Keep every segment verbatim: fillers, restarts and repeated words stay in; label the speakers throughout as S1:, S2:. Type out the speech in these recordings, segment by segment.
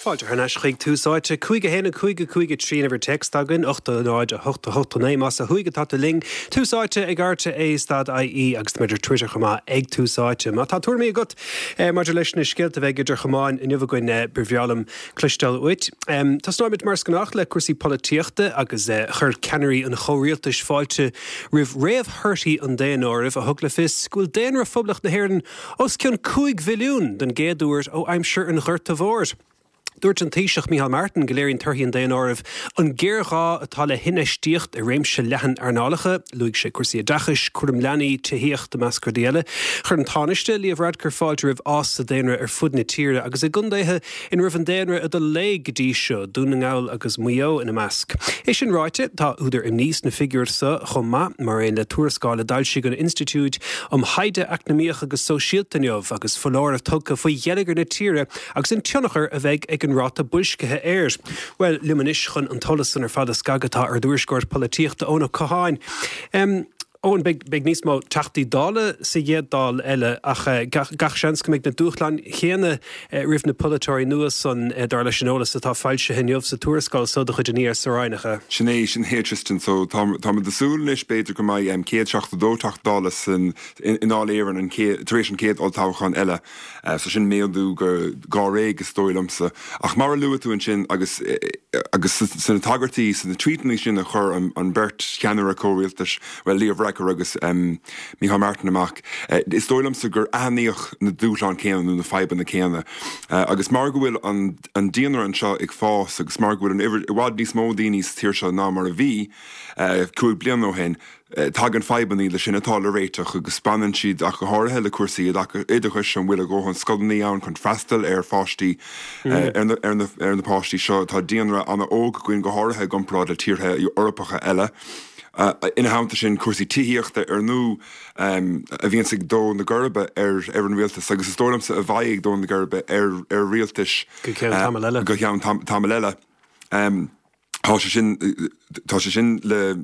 S1: Fáilte thar n-ais chuig Tús Áite cúig a haon a cúig a cúig a trí an uimhir téacs againn, ocht a náid a hocht a hocht a naoi más ó thuaidh atá tú linn. Tús Áite ag RTÉ stad IE agus táimid ar Twitter chomh maith ag Tús Áite. Má tá tuairimí agat maidir leis na scéalta a bheidh idir chamáin inniu againn ba bhreá liom cloisteáil uait. Tosnóimid mar is gnách le cúrsaí polaitíochta agus chuir ceannairí an chomhrialtais fáilte roimh réamhthorthaí an daonáirimh a thug le fios go bhfuil daonra Phoblacht na hÉireann os cionn cúig mhilliún den gcéad uair ó aimsir an Ghorta Mhóir. Dúirt an Taoiseach Micheál Martin go léiríonn torthaí an daonáirimh an géarghá atá le hinfheistíocht i réimse leathan earnálacha, luaigh sé cúrsaí oideachais, cúram leanaí, tithíocht i measc rudaí eile. Chuir an Tánaiste Leo Varadkar fáilte roimh fhás sa daonra ar fud na tíre agus i gcontaetha ina raibh an daonra ag dul i léig go dtí seo, Dún na nGall agus Maigh Eo ina measc. É sin ráite, tá údar imní sna figiúir seo chomh maith, mar aon le tuarascáil a d'fhoilsigh an Institiúid um Thaighde Eacnamaíoch agus Sóisialta inniu agus foláireamh tugtha faoi gheilleagar na tíre agus an tionchar a bheidh ag an ráta boilscithe air. Bhuel, liom anois chun an t-eolas san ar fad a scagadh tá ár dtuairisceoir polaitíochta Eoin Ó Catháin. Um, Eoin, beidh, beidh níos mó Teachtaí Dála sa chéad Dáil eile ach uh, gach, gach seans go mbeidh na dúshláin chéanna uh, roimh na polaiteoirí nua san uh, dar leis an eolas atá foilsithe inniu sa tuarascáil so de chuid an ESRI nach.
S2: Sin é sin é Tristan so tá ag súil anois b'fhéidir go mbeidh um, céad seachtó dó Teachta Dála san i nDáil Éireann an tar éis an chéad olltoghchán eile. Uh, so sin méadú go gáréig is dóigh liomsa. Ach mar a luaigh tú ansin agus agus sna tagairtí sna tweetanna sin a chuir an, an bheirt cheannaire comhrialtais well Leo Varadkar agus um, Micheál Martin amach. Uh, is dóigh liomsa gur aithníodh na dúshláin céanna nó na fadhbanna céanna. Uh, agus mar go bhfuil an, an daonra anseo ag fás agus mar go bhfuil an i bhfad níos mó daoine sa tír seo ná mar a bhí uh, cúig bliana ó shin, tagann fadhbanna le sin atá le réiteach agus baineann siad ach go háirithe le cúrsaí oideachais an bhfuil a ndóthain scoileanna ann chun freastal ar pháistí mm. ar na, ar na páistí seo tá daonra an-óg againn go háirithe i gcomparáid le tíortha Eorpacha eile. Uh, ina theannta sin cúrsaí tithíochta ar ndóigh um, a bhíonn ag dó na geirbe ar ar an rialtas agus is dóigh liomsa a bheidh ag dó na geirbe ar ar rialtais
S1: go ceann tamall eile.
S2: go ceann tamall eile. Um, Tá sé sin tá sé sin le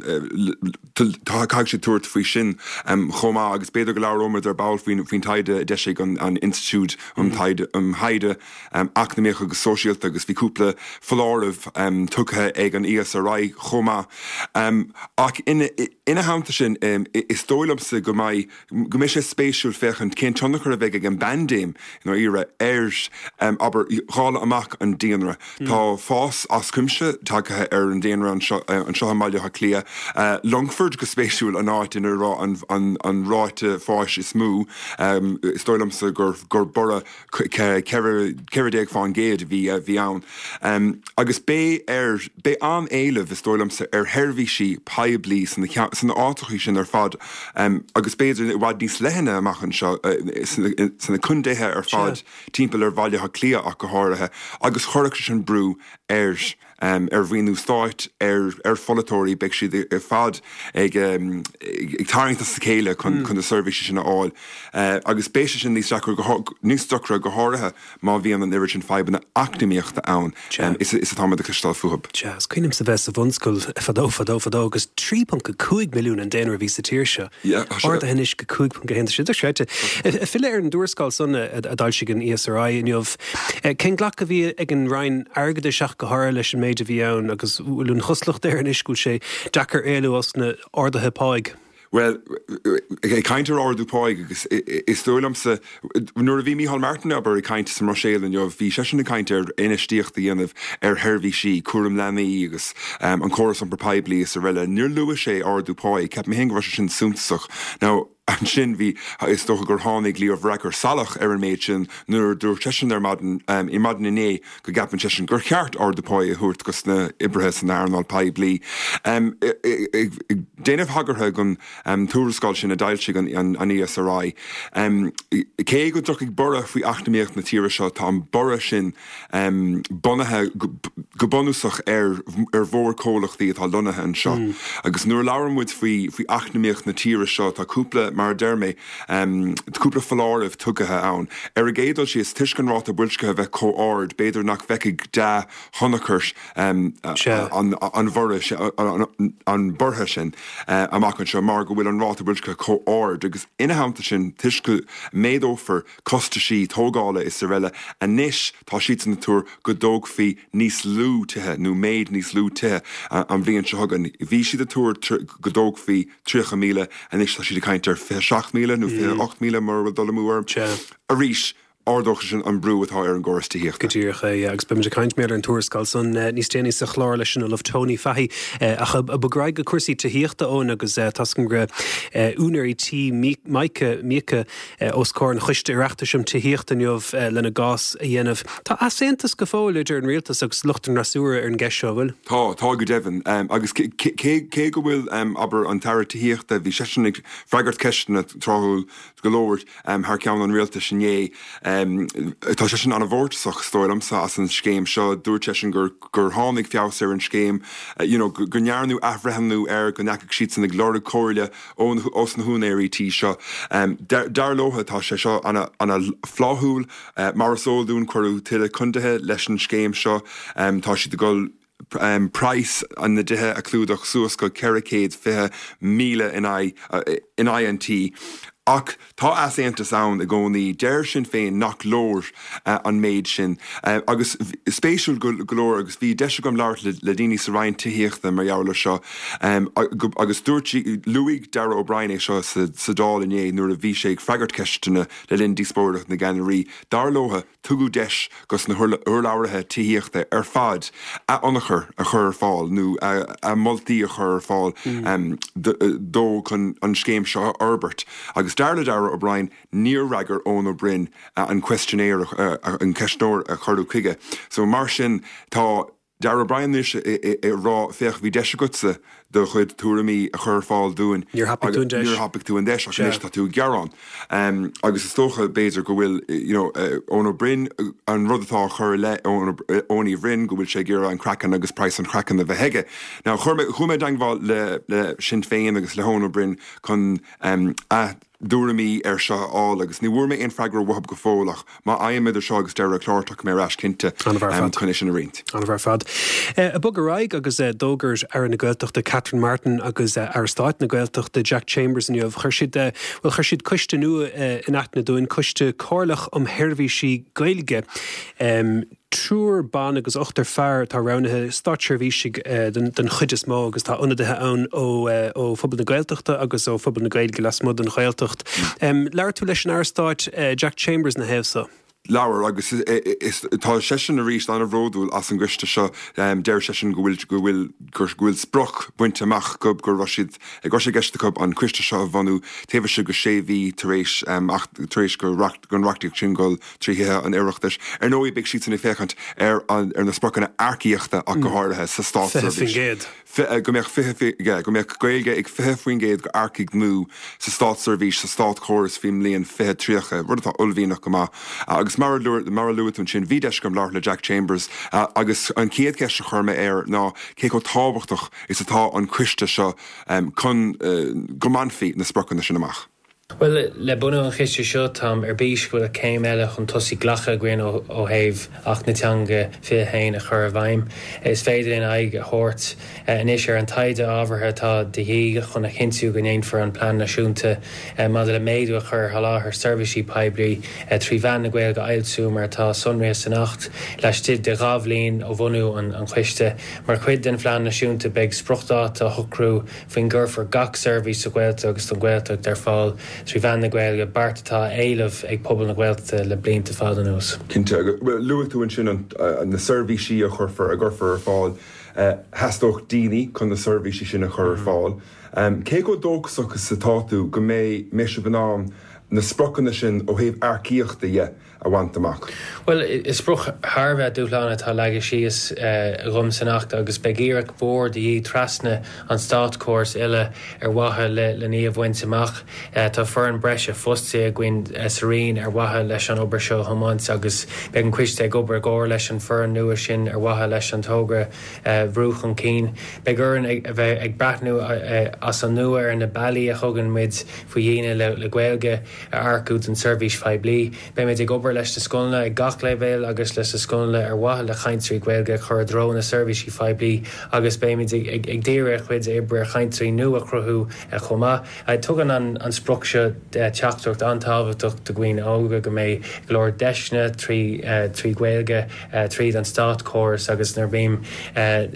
S2: tá caithfidh sé tabhairt faoi sin um, chomh maith agus b'fhéidir go labhróimid ar ball faoin faoin taighde a d'eisigh an, an Institiúid um Taighde um Thaighde um, Eacnamaíoch agus Sóisialta agus bhí cúpla foláireamh um, tugtha ag an ESRI chomh maith. Um, ach ina, ina theannta sin um, is dóigh liomsa go mbeidh go mbeidh sé spéisiúil féachaint cén tionchar a bheidh ag an bpaindéim in Éire ar um, abair dháileadh amach an daonra. Mm. Tá fás as cuimse tagtha ar an daonra anseo anseo i mBaile Átha Cliath. Uh, Longford go spéisiúil an áit ina raibh an, an, an ráta fáis is mó um, is dóigh liomsa gur, gur borradh ceithre déag faoin gcéad bhí bhí ann. Um, agus beidh ar beidh an-éileamh is dóigh liomsa ar sheirbhísí poiblí sna sna áiteacha sin ar fad um, agus b'fhéidir i bhfad níos leithne amach anseo uh, sna contaetha ar fad timpeall ar Bhaile Átha Cliath ach go háirithe agus chuirfeadh sin brú ar um, ar mhaoiniú stáit ar ar pholaiteoirí beidh siad ar fad ag um, ag tarraingt as a chéile chun mm. chun na seirbhísí sin a fháil uh, agus beidh sé sin níos níos deacra go háirithe má bhíonn an oiread sin fadhbanna eacnamaíochta ann um, is is atá le cloisteáil fúthu.
S1: Is cuimhin liomsa bheith sa bhunscoil fadó fadó fadó agus trí ponc cúig milliún an daonra a bhí sa tír seo. Ardaithe anois go cúig ponc haon sé séite. Filleadh ar an dtuarascáil san a d'fhoilsigh an ESRI inniu. Cén glacadh a bhí ag an Roinn Airgeadais ach go háirithe leis an méid a bhí ann agus bhfuil an chosúlacht air anois go bhfuil sé deacair éalú as na arduithe páigh.
S2: Well, ag caint ar ardú páigh agus is dóigh liomsa nuair a bhí Micheál Martin abair ag caint sa mBruiséil inniu bhí seisean ag caint ar infheistíocht a dhéanamh ar sheirbhísí cúram leanaí agus um, an córas iompar poiblí is araile. Níor luaigh sé ardú páigh, ceapaim féin go raibh sé sin suntasach. Now, ansin bhí is dócha gur tháinig Leo Varadkar salach ar an méid sin nuair dúirt seisean ar maidin um, i maidin inné go gceapann seisean gur cheart ardú páigh a thabhairt dos na hoibrithe san earnáil poiblí. Um, déanamh tagartha don um, tuarascáil sin a d'fhoilsigh an, an, an ESRI. Um, cé go dtiocfaidh borradh faoi eacnamaíocht na tíre seo tá an borradh sin um, bunaithe go bunúsach ar ar mhórchomhlachtaí atá lonnaithe anseo. Mm. Agus nuair a labhraíonn muid faoi faoi eacnamaíocht na tíre seo tá cúpla mar a deir mé, cúpla foláireamh tugtha ann. Ar an gcéad dul síos, toisc an ráta boilscithe a bheith chomh ard, b'fhéidir nach bhfeicfidh dea-thionchar an bhorradh an borrtha sin amach anseo mar go bhfuil an ráta boilscithe chomh ard agus ina theannta sin toisc go méadófar costaisí tógála is araile anois tá siadsan ag tuar go dtógfaí níos lú tithe nó méid níos lú tithe an bhliain seo chugainn. Bhí siad ag tuar go dtógfaí tríocha míle, anois tá siad ag caint ar fiche seacht míle nó fiche ocht míle mura bhfuil dul amú orm. Arís, ardóidh sin an brú atá ar an gcóras tithíochta.
S1: Go díreach é, agus beimid ag caint méar ar an tuarascáil san níos déanaí sa chlár leis an Ollamh Tony Fahy. Ach ag bogadh ar aghaidh go cúrsaí tithíochta, Eoin, agus tá a fhios agam go raibh úinéirí tí Mica, Míoca os comhair an Choiste Oireachtais um Tithíocht inniu lena gcás a dhéanamh. Tá easaontas go fóill idir an rialtas agus lucht an fhreasúra ar an gceist seo, an bhfuil?
S2: Tá, tá go deimhin. Agus cé go bhfuil, abair, an tAire Tithíochta, bhí seisean ag freagairt ceisteanna tráthúil go leor thar ceann an rialtais inné. Tá seisean an-mhórtasach, is dóigh liomsa, as an scéim seo. Dúirt seisean gur gur tháinig feabhas ar an scéim, you know, go ndearnadh athbhreithniú air, go ndeachaigh siadsan ag lorg comhairle ó ós na húinéirí tí seo. Dar leo tá sé seo ana-fhlaithiúil. Mar is eol dúinn cuireadh tuilleadh condaetha leis an scéim seo. Tá siad ag dul praghas na dtithe a chlúdach suas go ceithre chéad fiche míle in aghaidh an tí. Ach tá easaontas ann i gcónaí. Deir Sinn Féin nach leor an méid sin. Agus spéisiúil go leor, agus bhí deis agam labhairt le daoine sa Roinn Tithíochta mar gheall air seo, agus dúirt, luaigh Darragh O'Brien é seo sa Dáil inné nuair a bhí sé ag freagairt ceisteanna le linn díospóireacht na gceannairí, dar leo, Tugadh deis dos na hurlabhraithe tithíochta ar fad a n-ionchur a chur ar fáil nó a moltaí a chur ar fáil dó chun an scéim seo a fhorbairt agus dar le Darragh O'Brien níor fhreagair Eoin Ó Broin an questionnaire, an ceistneoir a cuireadh chuige. So mar sin tá Darragh O'Brien anois ag rá, féach, bhí deis agatsa do chuid tuairimí a chur ar fáil dúinn.
S1: Níor thapaigh tú an deis.
S2: Níor thapaigh tú an deis ach anois tá tú ag gearán. Agus is dócha, b'fhéidir, go bhfuil, you know, Eoin Ó Broin, an rud atá á chur i leith Eoin Uí Bhroin, go bhfuil sé ag iarraidh an craiceann agus praghas an chraicinn a bheith aige. Now, chuir mé, chuaigh mé i dteangmháil le, le Sinn Féin agus le hEoin Ó Broin chun a dtuairimí air seo a fháil agus ní bhfuair mé aon freagra uathu go fóill ach má fhaighim idir seo agus deireadh an chláir tiocfaidh mé ar ais cinnte chun é sin a roinnt.
S1: An-mhaith ar fad. Ag bogadh ar aghaidh agus d'fhógair Aire na Gaeltachta Catherine Martin agus Aire Stáit na Gaeltachta Jack Chambers inniu, chuir siad, bhuel chuir siad coiste nua in aithne dúinn, Coiste Comhairleach um Sheirbhísí Gaeilge. Triúr ban agus ochtar fear atá roghnaithe, státseirbhísigh den chuid is mó agus tá ionadaithe ann ó phobal na Gaeltachta agus ó phobal na Gaeilge lasmuigh den Ghaeltacht. Labhair tú leis an Aire Stáit Jack Chambers ina thaobh so.
S2: Labhair agus tá seisean arís an-bhródúil as an gcoiste seo. Deir seisean go bhfuil go bhfuil go bhfuil sprioc bainte amach acu, go raibh siad go raibh sé i gceist acu an coiste seo a bhunú taobh istigh de sé mhí tar éis tar éis go don reachtaíocht sin dul trí Thithe an Oireachtais. Ar ndóigh, beidh siadsan ag féachaint ar ar na spriocanna earcaíochta ach go háirithe sa státseirbhís. Go mbeadh fiche, go mbeadh Gaeilge ag fiche faoin gcéad d'earcaigh nua sa státseirbhís, sa státchóras faoin mbliain fiche tríocha, rud atá uaillmhianach go maith. Agus mar a mar a luaigh tú ansin, bhí deis agam labhairt le Jack Chambers agus an chéad cheist a chuir mé air ná cé chomh tábhachtach is atá an coiste seo chun go mbainfí na spriocanna sin amach.
S3: Bhuel, le bunú an chiste seo, táim ar bís go bhfuil céim eile chun tosaigh glactha againn ó thaobh Acht na Teanga fiche a haon a chur i bhfeidhm. Is féidir linn aghaidh a thabhairt anois ar an taighde ábhartha atá de dhíth chun a chinntiú go ndéanfar an Plean Náisiúnta maidir le Méadú a chur ar Sholáthar Seirbhísí Poiblí trí mheán na Gaeilge a fhoilsiú mar atá sonraithe san Acht laistigh de dhá bhliain ó bhunú an choiste. Mar chuid den Phlean Náisiúnta beidh spriocdháta á shocrú faoin gcuirfear gach seirbhís sa Ghaeltacht agus don Ghaeltacht ar fáil trí mheán na Gaeilge, beart atá á éileamh ag pobal na Gaeltachta le blianta fada anuas.
S2: Cinnte. Bhuel, luaigh tú ansin na seirbhísí a chuirfear, a gcuirfear ar fáil. Theastódh daoine chun na seirbhísí sin a chur ar fáil. Cé chomh dóchasach is atá tú go mbeidh, mbeidh sibh in ann na spriocanna sin ó thaobh earcaíochta dhe a bhaint amach?
S3: Bhuel, is sprioc thar a bheith dúshlánach atá leagtha síos agam san Acht agus beidh iarracht mhór de dhíth trasna an státchórais uile ar mhaithe len í a bhaint amach. Tá foireann breise fostaithe againn sa Roinn ar mhaithe leis an obair seo a thiomáint agus beidh an coiste ag obair i gcomhar leis an bhfoireann nua sin ar mhaithe leis an togra a bhrú chun cinn. Beidh orainn a bheith ag breathnú as an nua ar na bealaí a thugann muid faoi dhaoine le Gaeilge a earcú don tseirbhís phoiblí. Beimid ag obair leis na scoileanna ag gach leibhéal agus leis na scoileanna ar mhaithe le cainteoirí Gaeilge a chur i dtreo na seirbhísí poiblí agus beimid ag díriú ár gcuid oibre ar chainteoirí nua a chruthú chomh maith. Tugann an sprioc seo teachtaireacht an-tábhachtach do dhaoine óga go mbeidh go leor deiseanna trí Ghaeilge tríd an státchóras agus nuair a bhím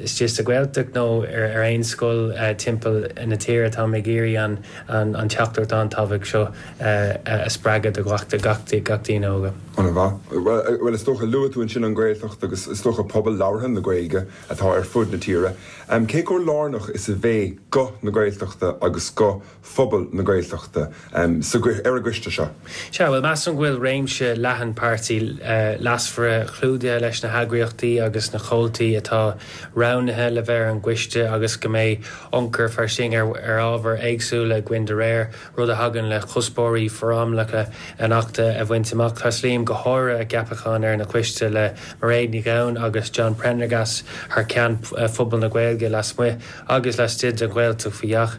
S3: istigh sa Ghaeltacht nó ar aon scoil timpeall na tíre táim ag iarraidh an teachtaireacht an-tábhachtach seo a spreagadh do gach daoine óga.
S2: An-mhaith. Bhuel, is dócha, luaigh tú ansin an Ghaeltacht agus is dócha pobal labhartha na Gaeilge atá ar fud na tíre. Cé chomh lárnach is a bheidh guth na Gaeltachta agus guth phobal na Gaeltachta ar an gcoiste seo?
S3: Sea, bhuel, measaim go bhfuil réimse leathan páirtithe leasmhara clúdaithe leis na heagraíochtaí agus na comhaltaí atá roghnaithe le bheith ar an gcoiste agus go mbeidh ionchur fairsing ar ábhair éagsúla againn de réir, rud a thagann le cuspóirí foriomlána an Achta a bhaint amach. Tréaslaím go háirithe a gceapachán ar an gcoiste le Mairéad Ní Ghabhann agus John Prendergast thar ceann phobal na Gaeilge lasmuigh agus laistigh den Ghaeltacht faoi sheach.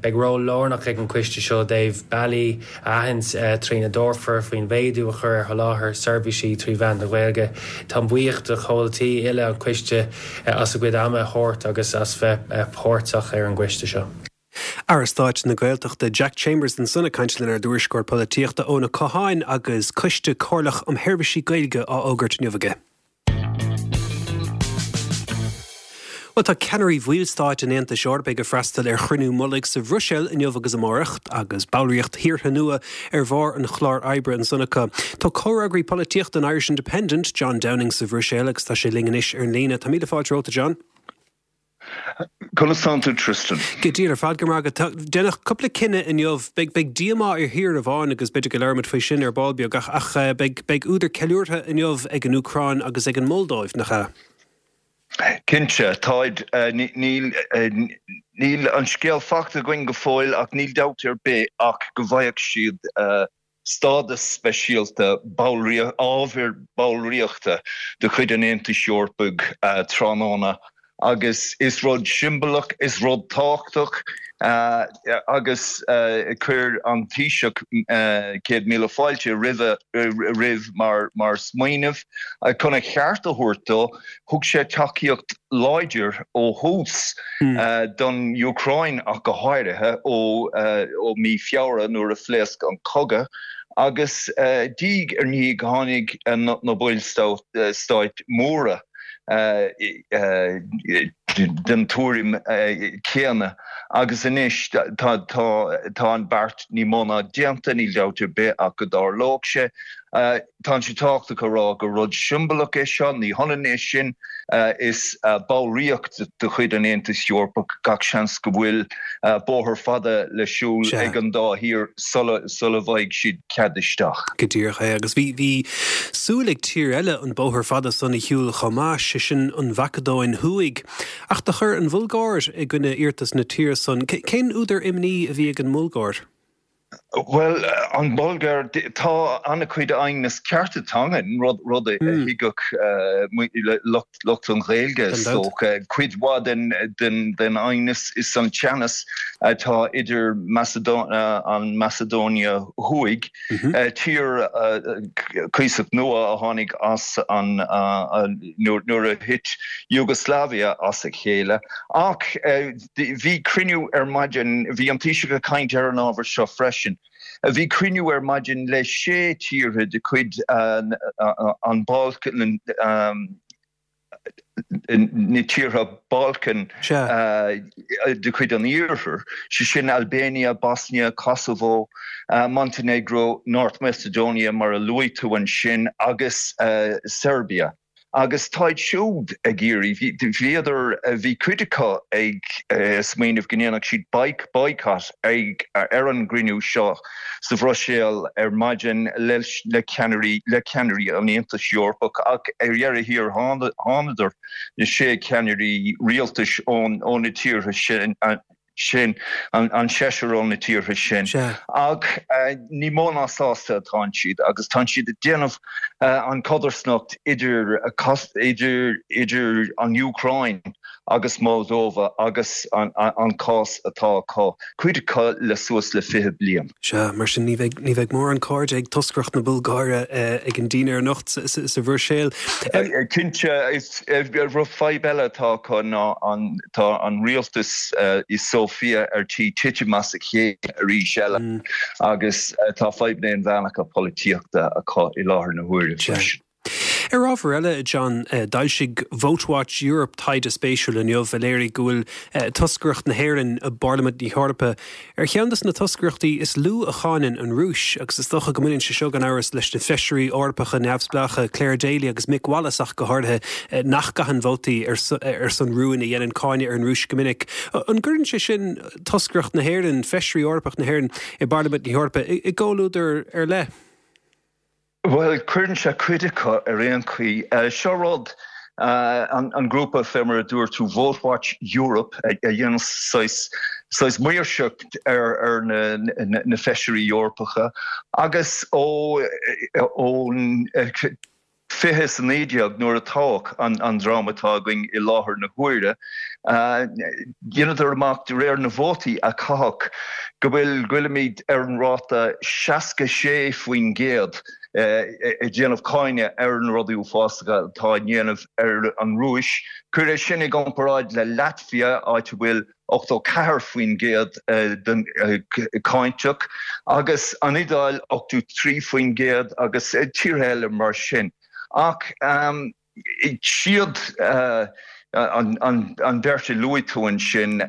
S3: Beidh ról lárnach ag an gcoiste seo i dtaobh bealaí a aithint trína dtabharfar faoin mhéadú a chur ar sholáthar seirbhísí trí mheán na Gaeilge. Táim buíoch de chomhaltaí uile an choiste as a gcuid ama a thabhairt agus as bheith páirteach ar an gcoiste seo.
S1: Aire Stáit na Gaeltachta Jack Chambers ansan ag caint lenár dtuairisceoir polaitíochta Eoin Ó Catháin agus Coiste Comhairleach um Sheirbhísí Gaeilge á fhógairt inniu aige. Bhuel, tá ceannairí bhallstáit an Aontais Eorpaigh ag freastal ar chruinniú mullaigh sa Bhruiséil inniu agus amárach agus ballraíocht thíortha nua ar bharr an chláir oibre ansan acu. Tá comhfhreagraí polaitíochta an Irish Independent, John Downing sa Bhruiséil agus tá sé linn anois ar an líne. Tá míle fáilte romhat, a John.
S4: Conas tánn tú Tristan?
S1: Go diail ar fad go maith agat. Déanadh cúpla cinneadh inniu. Beidh beidh díomá ar thír amháin agus b'fhéidir go labhróimid faoi sin ar ball beag ach ach beidh beidh údar ceiliúrtha inniu ag an Úcráin agus ag an Moldóiv, nach ea?
S4: Cinnte, táid. Níl níl an scéal faighte againn go fóill ach níl dabht ar bith ach go bhfaigheadh siad stádas speisialta ábhar ballraíochta de chuid an Aontais Eorpaigh tráthnóna agus is rud siombalach, is rud tábhachtach agus chuir an Taoiseach céad míle fáilte roimhe roimh mar mar smaoineamh. Chun a cheart a thabhairt dó, thug sé tacaíocht láidir ó thús don Úcráin ach go háirithe ó ó mí Feabhra nuair a phléasc an cogadh agus diaidh ar ndiaidh tháinig na ballstáit móra den tuairim chéanna agus anois tá an beart ní mó ná déanta, níl dabht ar bith ach go dtarlódh sé. Tá sé tábhachtach a rá gur rud siombalach é seo, ní hionann é sin is ballraíocht de chuid an Aontais Eorpaigh, gach seans go bhfuil bóthar fada le siúl ag an dá thír sula bhfaighidh siad cead isteach.
S1: Go díreach é. Agus bhí bhí súil ag tír eile an bóthar fada san a shiúl chomh maith, sé sin an Mhacadóin Thuaidh. Ach do chuir an Bhulgáir i gcoinne iarratas na tíre san. Cén údar imní a bhí ag an mBulgáir?
S4: Bhuel, an Bhulgáir, tá an-chuid aighneas cearta teangan, rud rud a thuigfeadh lucht lucht an Ghaeilge is dócha. Cuid mhaith den den den aighneas is an teannas atá idir an Macedonia Thuaidh, tír cuíosach nua a tháinig as an nuair a thit Yugoslavia as a chéile. Ach bhí cruinniú ar maidin, bhí an Taoiseach ag caint ar an ábhar seo freisin, bhí cruinniú ar maidin le sé tíortha de chuid an Balkan, na tíortha Balkan de chuid an Iarthair, sé sin Albania, Bosnia, Kosovo, Montenegro, North Macedonia mar a luaigh tú ansin agus Serbia. Agus táid siúd ag iarraidh, bhíodar, bhí cuid acu ag smaoineamh go ndéanfadh siad boycott ag ar an gcruinniú seo sa Bhruiséil ar maidin le le ceannairí le ceannairí an Aontais Eorpach ach ar dheireadh thiar thánadar na sé ceannairí rialtais ón ó na tíortha sin sin an seisear ó na tíortha sin. Ach ní mó ná sásta atá siad agus tá siad ag déanamh an codarsnacht idir idir idir an Úcráin agus Moldova agus an an cás atá acu, cuid acu le suas le fiche bliain.
S1: Sea, mar sin ní bheidh ní bheidh mórán cairde ag toscaireacht na Bulgáire ag an dinnéar anocht sa Bhruiséil.
S4: Cinnte, is rud fadhb eile atá acu ná an tá an rialtas i Sofia ar tí titim as a chéile arís eile agus tá fadhbanna inmheánacha polaitíochta acu i láthair na huaire freisin.
S1: Ar ábhar eile, John, d'fhoilsigh VoteWatch Europe taighde spéisiúil inniu a léirigh go bhfuil toscaireacht na hÉireann i bParlaimint na hEorpa ar cheann de na toscaireachtaí is lú a cháineann an Rúis, agus is dócha go mbaineann sé seo gan amhras leis na feisirí Eorpacha neamhspleácha Clare Daly agus Mick Wallace ach go háirithe nach gcaitheann vótaí ar son rúin a dhéanann cáineadh ar an Rúis go minic. An gcuireann sé sin toscaireacht na hÉireann, feisirí Eorpach na hÉireann i bParlaimint na hEorpa i gcomhluadar ar leith?
S4: Bhuel, cuireann sé cuid acu ar aon chaoi. Seo rud an grúpa fé mar a dúirt tú VoteWatch Europe a dhéanann saghas saghas maoirseacht ar ar na na feisirí Eorpacha agus ó ón fiche is a naoi déag nuair a toghadh an an dream atá againn i láthair na huaire, dheineadar amach de réir na vótaí a caitheadh go bhfuil go bhfuilimid ar an ráta seasca sé faoin gcéad ag déanamh cáineadh ar na rudaí uafásacha atá á ndéanamh ar an Rúis. Cuir é sin i gcomparáid le Latvia, áit a bhfuil ochtó ceathair faoin gcéad den cáinteach, agus an Iodáil ochtó trí faoin gcéad agus tíortha eile mar sin. Ach siad an bheirt a luaigh tú ansin,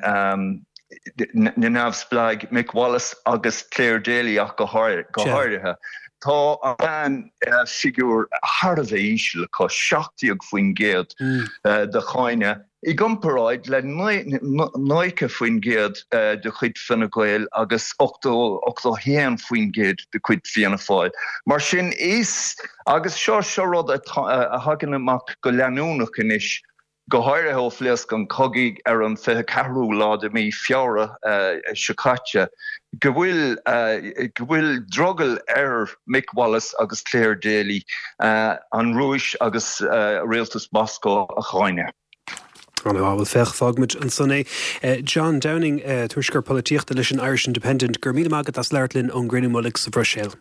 S4: na neamhspleáigh, Mick Wallace agus Clare Daly ach go háirithe, tá an figiúr thar a bheith íseal acu, seacht déag faoin gcéad de cháineadh, i gcomparáid le nócha faoin gcéad de chuid Fine Gael agus ochtó a haon faoin gcéad de chuid Fianna Fáil. Mar sin is, agus seo seo rud a thagann amach go leanúnach anois, go háirithe ó phléasc an cogadh ar an fiche ceathrú lá de mhí Feabhra seo caite, go bhfuil go bhfuil drogall ar Mick Wallace agus Clare Daly an Rúis agus rialtas Moscó a cháineadh.
S1: Ana-mhaith, bhuel féach, fágfaimid ansan é. John Downing, tuairisceoir polaitíochta leis an Irish Independent, go raibh míle maith agat as labhairt linn ón gcruinniú mullaigh sa Bhruiséil.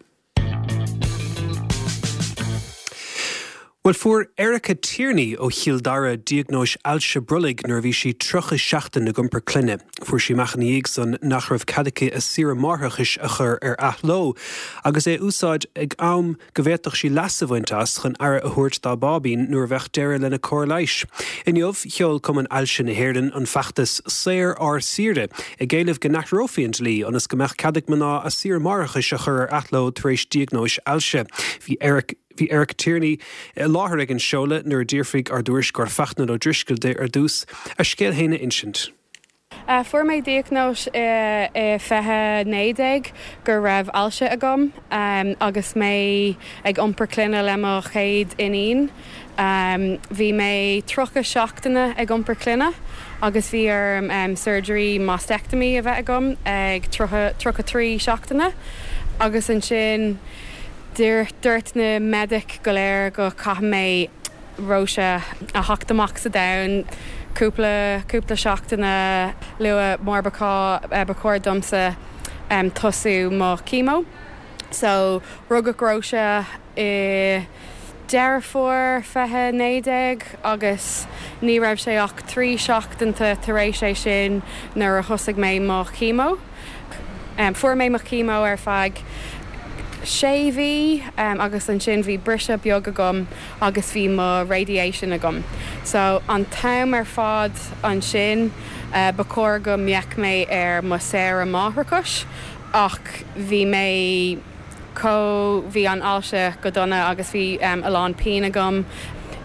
S1: Bhuel, fuair Erica Tierney ó Chill Dara diagnóis ailse brollaigh nuair a bhí sí tríocha seachtain ag iompar clainne. Fuair sí amach ina dhiaidh san nach raibh cead aici a saoire máithreachais a chur ar athló agus é a úsáid ag am go bhféadfadh sí leas a bhaint as chun aire a thabhairt dá báibín nuair a bheadh deireadh lena cóir leighis. Inniu, sheol Cumann Ailse na hÉireann an feachtas 'Saor ár Saoire' ag éileamh go n-athrófaí an dlí ionas go mbeadh cead ag mná a saoire máithreachais a chur ar athló tar éis diagnóis ailse. Bhí Eric Bhí Erica Tierney i láthair ag an seoladh nuair a d'fhiafraigh ár dtuairisceoir Fachtna O'Driscoll di ar dtús a scéal féin a insint.
S5: Fuair mé diagnóis i fiche naoi déag go raibh ailse agam agus mé ag iompar clainne le mo chéad iníon. Bhí mé tríocha seachtaine ag iompar clainne agus bhí orm surgery mastectomy a bheith agam ag tríocha trí seachtaine agus ansin Dúirt na medic go léir go caithfidh mé Róise a theacht amach sa domhan cúpla cúpla seachtaine luath mar ba ba chóir domsa tosú mo chemo. So rugadh Róise i Deireadh Fómhair fiche naoi déag agus ní raibh sé ach trí seachtainte tar éis é sin nuair a thosaigh mé mo chemo. Fuair mé mo chemo ar feadh sé mhí agus ansin bhí briseadh beag agam agus bhí mo radiation agam. So an t-am ar fad ansin ba chóir go mbeadh mé ar mo saoire máithreachais ach bhí mé chomh, bhí an ailse go dona agus bhí a lán pian agam.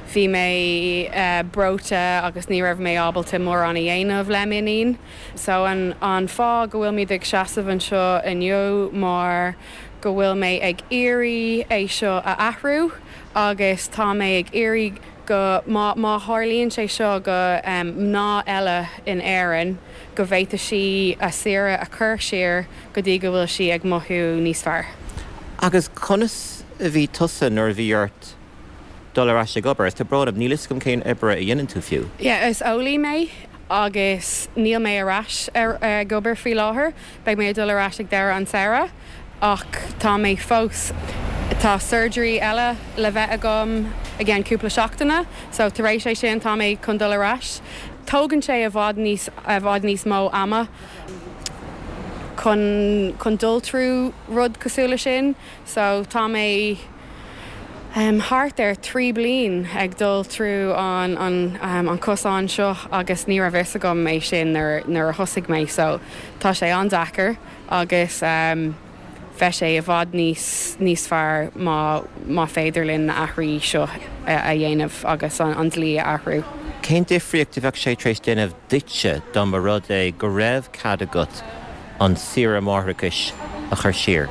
S5: Bhí mé breoite agus ní raibh mé ábalta mórán a dhéanamh le m'iníon. So an an fáth go bhfuil muid ag seasamh anseo inniu mar go bhfuil mé ag iarraidh é seo a athrú agus tá mé ag iarraidh go má má tharlaíonn sé seo go mná eile in Éirinn go bhféadfaidh sí a saoire a chur siar go dtí go bhfuil sí ag mothú níos fearr.
S6: Agus conas a bhí tusa nuair a bhí ort dul ar ais ag obair? Is tá brón orm, níl fhios agam cén obair a dhéanann tú fiú.
S5: Yeah, is eolaí mé agus níl mé ar ais ar ag obair faoi láthair, beidh mé ag dul ar ais ag deireadh an tsamhraidh ach tá mé fós Tá surgery eile le bheith agam i gceann cúpla seachtaine, so tar éis é sin tá mé chun dul ar ais. Tógann sé i bhfad níos i bhfad níos mó ama chun chun dul trú rud cosúil le sin, so tá mé um, thart ar trí bliain ag dul trú an an um, an cosán seo agus ní raibh fhios agam é sin nuair nuair a thosaigh mé, so tá sé an-deacair agus um, bheadh sé i bhfad níos níos fearr má má féidir linn na athruithe seo a dhéanamh agus an, an dlí a athrú.
S6: Cén difríocht a bheadh sé tar éis déanamh duitse dá mba rud é go raibh cead agat an saoire máithreachais a chur siar?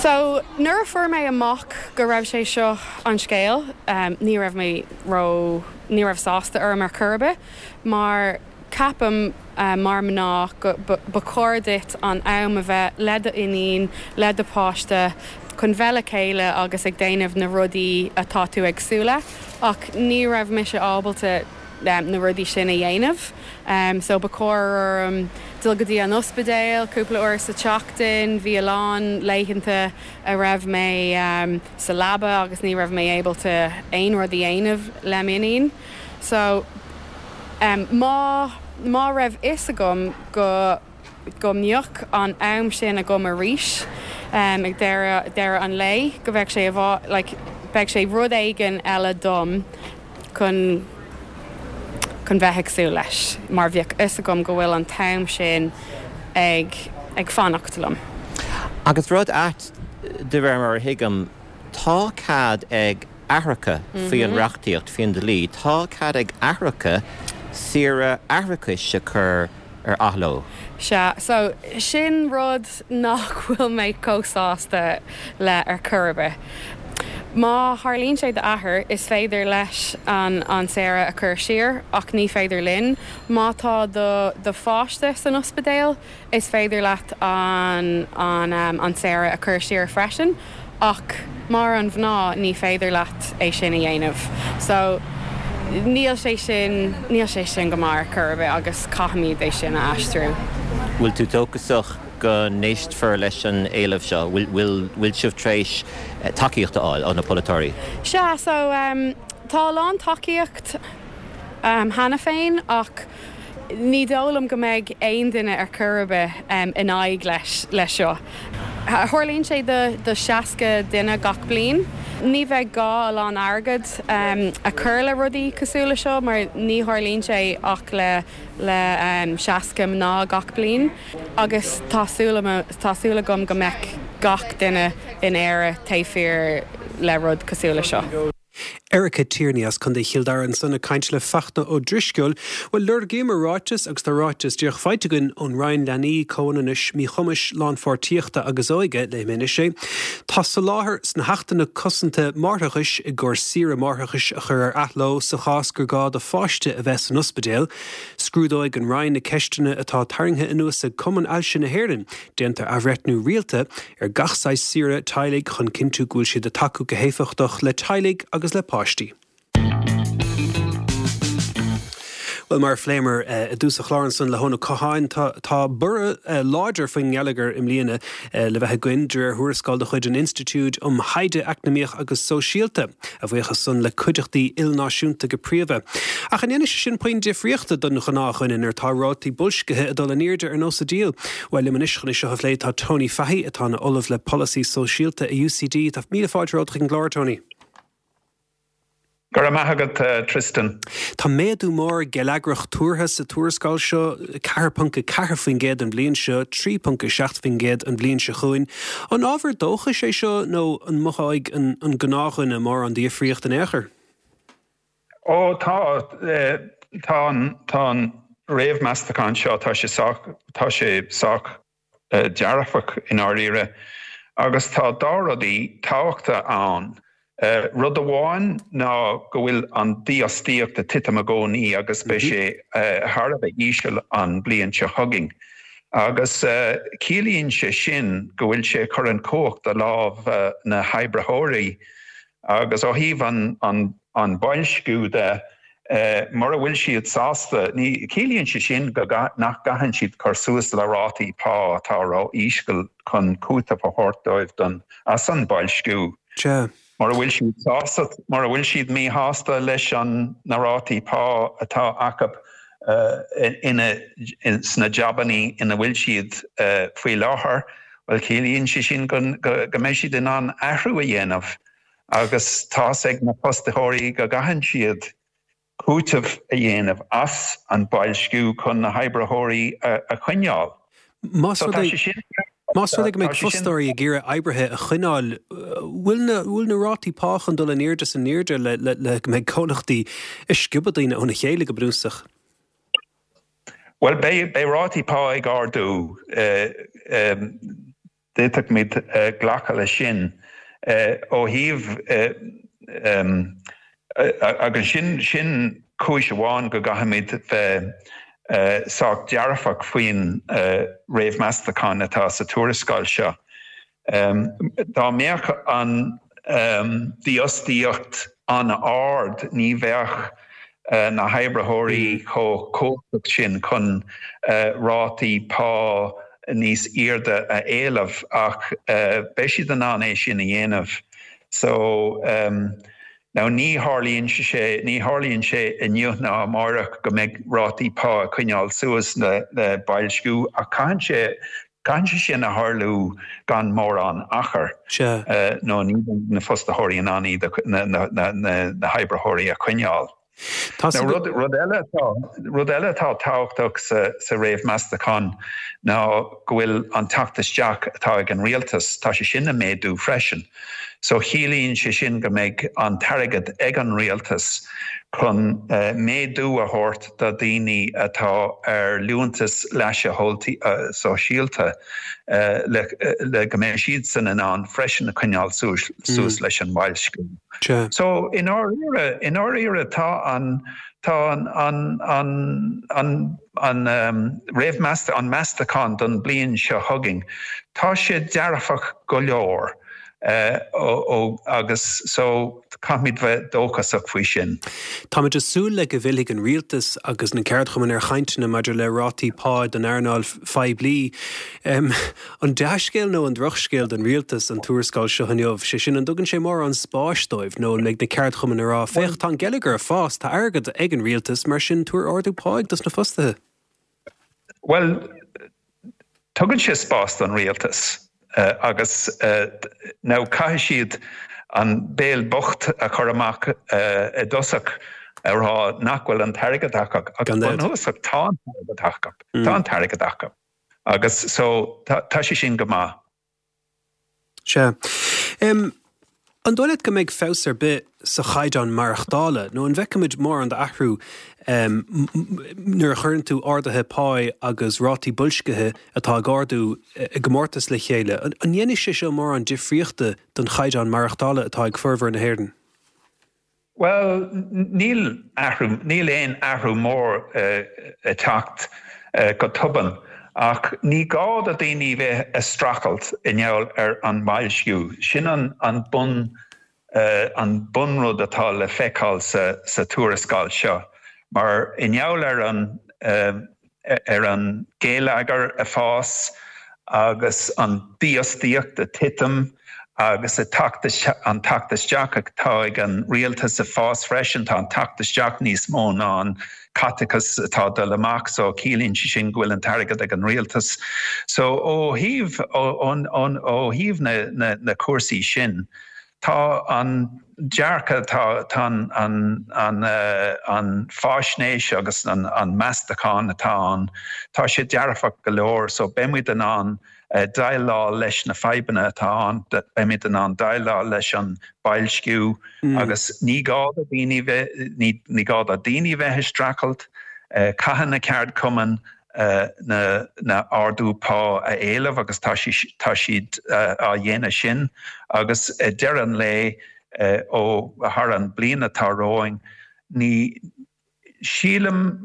S5: So nuair a fuair mé amach go raibh sé seo an scéal, um, ní raibh mé ró ní raibh sásta orm ar chor ar bith, mar ceapaim uh, mar mná go ba chóir duit an am a bheith le do iníon le do páiste chun bheith le chéile agus ag déanamh na rudaí atá tú ag súil le ach ní raibh mise ábalta um, na rudaí sin a dhéanamh. Um, so ba chóir um, dul go dtí an ospidéal, cúpla uair sa tseachtain, bhí a lán laethanta a raibh mé um, sa leaba agus ní raibh mé ábalta aon rud a dhéanamh le m'iníon. So um, má má raibh fhios agam go go mbeadh an am sin agam arís um, ag deireadh deireadh an lae go bheadh sé a like, beidh sé rud éigin eile dom chun chun bheith ag súil leis, mar bheadh fhios agam go bhfuil an t-am sin ag ag fanacht liom.
S6: Agus rud ait de réir mar a thuigim tá cead ag aithreacha faoi an reachtaíocht faoin dlí, tá cead ag aithreacha saoire aithreachais a chur ar athló.
S5: Sea, so sin rud nach bhfuil mé chomh sásta le ar chor ar bith. Má tharlaíonn sé d'athair is féidir leis an an saoire a chur siar ach ní féidir linn. Má tá do do pháiste san ospidéal is féidir leat an an um, an saoire a chur siar freisin ach mar an mhná ní féidir leat é sin a dhéanamh. So níl sé sin níl sé sin go maith ar chor ar bith agus caithfimid é sin a aistriú.
S6: Bhfuil tú dóchasach go n-éistfear leis an éileamh seo, bhfuil sibh tar éis tacaíocht a fháil ó na polaiteoirí?
S5: Sea, so um, tá a lán tacaíocht um, cheana féin ach ní dóigh liom go mbeidh aon duine ar chor ar bith um, in aghaidh leis leis seo. Tarlaíonn sé do, do seasca duine gach bliain. Ní bheidh gá a lán airgead um, a chur le rudaí cosúil le seo, mar ní tharlaíonn sé ach le le um, seasca mná gach bliain. Agus tá súil agam go mbeidh gach duine in Éire taobh thiar le rud cosúil le seo.
S1: Erica Tierney as Contae Chill Dara ansan ag caint le Fachtna Ó Drisceoil, Bhuel lorgaíomar ráiteas agus tá ráiteas díreach faighte againn ón Roinn Leanaí Comhionannais Míchumais Lánpháirtíochta agus Óige léifidh mé anois é. Tá soláthar sna hAchtanna Cosanta Máithreachais i gcomhair saoire máithreachais a chur ar athló sa chás gur gá do pháiste a bheith san ospidéal. Scrúdóidh an Roinn na ceisteanna atá tarraingthe anuas ag Cumann Ailse na hÉireann, déantar athbhreithniú rialta ar gach saghas saoire teaghlaigh chun cinntiú go bhfuil siad ag tacú go héifeachtach le teaghlaigh agus le páistí. Well mar a phléamar i dtús an chláir ansan le hEoin Ó Catháin tá borradh láidir faoin ngeilleagar i mbliana le bheith againn de réir thuarascáil de chuid an Institiúid um Thaighde Eacnamaíoch agus Sóisialta, a bhuíochas san le cuideachtaí ilnáisiúnta go príomha. Ach an ndéanfaidh sé sin puinn difríochta don ghnáthdhuine nuair atá rátaí boilscithe ag dul in airde ar nós an diabhail. Well liom anois chun é seo a phlé tá Tony Fahy atá ina ollamh le polasaí sóisialta i UCD, tá míle fáilte romhat chuig an gclár Tony.
S7: Go raibh maith agat Tristan.
S1: Tá méadú mór geilleagrach tuartha sa tuarascáil seo ceathair ponc a ceathair faoin gcéad an bhliain seo, trí ponc a seacht faoin gcéad an bhliain seo chugainn. An ábhar dóchais é seo nó an mothóidh an, an gnáthdhuine mórán difríocht in aon chor?
S7: Ó tá tá tá an réamh-mheastachán seo tá sé sách tá sé sách dearfach i ndáiríre agus tá dhá rudaí tábhachtacha ann. Rud amháin ná go bhfuil an dífhostaíocht ag titim i gcónaí agus beidh sé thar a bheith íseal an bliain seo chugainn. Agus ciallaíonn sé sin go bhfuil sé chur an cumhacht i lámh na hoibritheoirí agus ó thaobh an an an boilsciú de mura bhfuil siad sásta, ní ciallaíonn sé sin go nach gcaitheann siad cur suas le rátaí pá atá ró-íseal chun cúiteamh a thabhairt dóibh don as an boilsciú. Mura bhfuil siad sásta, mura bhfuil siad míshásta leis an na rátaí pá atá acu ina sna jabannaí ina bhfuil siad faoi láthair, well ciallaíonn sé sin go go mbeidh siad in ann athrú a dhéanamh agus tá's ag na fostaitheoirí go gcaitheann siad cúiteamh a dhéanamh as an boilsciú chun na hoibritheoirí a choinneáil.
S1: Más rud é Más rud é go mbeidh fostóirí ag iarraidh oibrithe a choinneáil, bhfuil na bhfuil na rátaí pá chun dul in airde is in airde le le le go mbeidh comhlachtaí ag sciobadh daoine óna chéile go bunúsach?
S7: Well beidh beidh rátaí pá ag ardú. D'fhéadfadh glacadh leis sin ó thaobh agus sin sin cúis amháin go gcaithfimid bheith sách dearfach faoin réamh-mheastachán atá sa tuarascáil seo. Dá mbeadh an dífhostaíocht an-ard ní bheadh na hoibritheoirí chomh cumhachtach sin chun rátaí pá níos airde a éileamh ach beidh siad in ann é sin a dhéanamh. So um, now ní tharlaíonn sé ní tharlaíonn sé inniu ná amárach go mbeidh rátaí pá ag coinneáil suas le le boilsciú ach caitheann sé caitheann sé sin a tharlú gan mórán achar nó ní na fostaitheoirí in ann iad na na na na hoibritheoirí a choinneáil. Rud rud eile rud eile atá tábhachtach sa, sa réamh-mheastachán ná go bhfuil an teacht isteach atá ag an rialtas tá sé sin ag méadú freisin. So ciallaíonn sé sin go mbeidh an t-airgead ag an rialtas chun uh, méadú a thabhairt do daoine atá ar liúntas leasa uh, sóisialta uh, le, le go mbeidh siad san in ann freisin a choinneáil suas, suas mm. leis an mboilsciú. So i ndáiríre i ndáiríre tá an tá an an an an an um, réamh an meastachán don bliain seo chugainn. Tá sé dearfach go leor. Uh, ó, ó, agus so caithfimid bheith dóchasach faoi sin.
S1: Táimid ag súil le go bhfillfidh an rialtas agus na ceardchumainn ar chainteanna maidir le rátaí pá don earnáil phoiblí. Um, an dea-scéal nó an drochscéal don rialtas an tuarascáil seo inniu, sé sin an dtugann sé mórán spáis dóibh nó an mbeidh na ceardchumainn ag rá féach tá an geilleagar ag fás tá airgead ag an rialtas mar sin tabhair ardú pá dos na fostaithe.
S7: Well, tugann sé spás don rialtas. Uh, agus uh, now caithfidh siad an béal bocht a chur amach uh, i dtosach a rá nach bhfuil an t-airgead acu agus bunúsach tá an t-airgead acu mm. tá an t-airgead acu agus so tá sé sin go maith.
S1: Sea. Um, An dóigh leat go mbeidh feabhas ar bith sa chaighdeán maireachtála, nó an bhfeicfimid mórán d'athrú um, nuair a chuireann tú arduithe pá agus rátaí boilscithe atá ag ardú i gcomórtas le chéile. An ndéanfaidh sé seo mórán difríochta don chaighdeán maireachtála atá ag formhór na hÉireann?
S7: Well, níl athrú níl aon athrú mór uh, ag teacht uh, go tobann. Ach ní gá do daoine bheith ag streachailt i ngeall ar an mboilsciú. Sin an, an bun uh, an bunrud atá le feiceáil sa, sa tuarascáil seo. Mar i ngeall ar an uh, ar an geilleagar ag fás agus an dífhostaíocht ag titim agus an teacht isteach atá ag an rialtas ag fás freisin tá an teacht isteach níos mó ná an caiteachas atá ag dul amach so ciallaíonn sé sin go bhfuil an t-airgead ag an rialtas. So ó thaobh ó thaobh na, na, na cúrsaí sin, tá an dearcadh tá tá an, an, uh, an fáisnéis agus an, an meastachán atá ann, tá sé dearfach go leor, so beimid in ann déileáil leis na fadhbanna atá ann, beimid in ann déileáil leis an boilsciú agus ní gá do daoine bheith, ní gá do daoine bheith ag streachailt, caithfidh na ceardchumainn na na ardú pá a éileamh agus tá tá siad á dhéanamh sin agus ag deireadh an lae ó thar an bliain atá romhainn ní sílim